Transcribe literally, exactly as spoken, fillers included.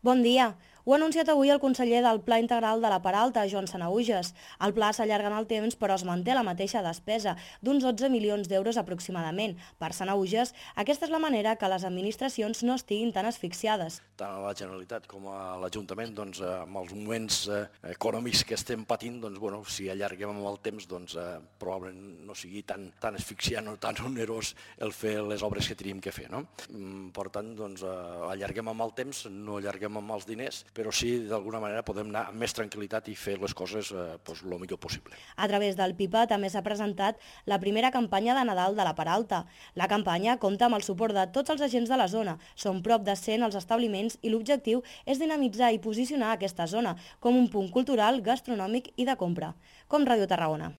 Bon dia. Ho ha anunciat avui el conseller del Pla Integral de la Peralta, Joan Sanahuges. El pla s'allarga en el temps, però es manté la mateixa despesa, d'uns dotze milions d'euros aproximadament. Per Sanahuges, aquesta és la manera que les administracions no estiguin tan asfixiades. Tant a la Generalitat com a l'Ajuntament, doncs, amb els moments eh, econòmics que estem patint, doncs, bueno, si allarguem amb el temps, doncs, eh, probablement no sigui tan, tan asfixiant o tan onerós el fer les obres que tenim que fer. No? Per tant, doncs, eh, allarguem amb el temps, no allarguem amb els diners, però sí, d'alguna manera, podem anar amb més tranquil·litat i fer les coses eh, doncs, el millor possible. A través del PIPA també s'ha presentat la primera campanya de Nadal de la Peralta. La campanya compta amb el suport de tots els agents de la zona. Són prop de cent els establiments i l'objectiu és dinamitzar i posicionar aquesta zona com un punt cultural, gastronòmic i de compra. Com Ràdio Tarragona.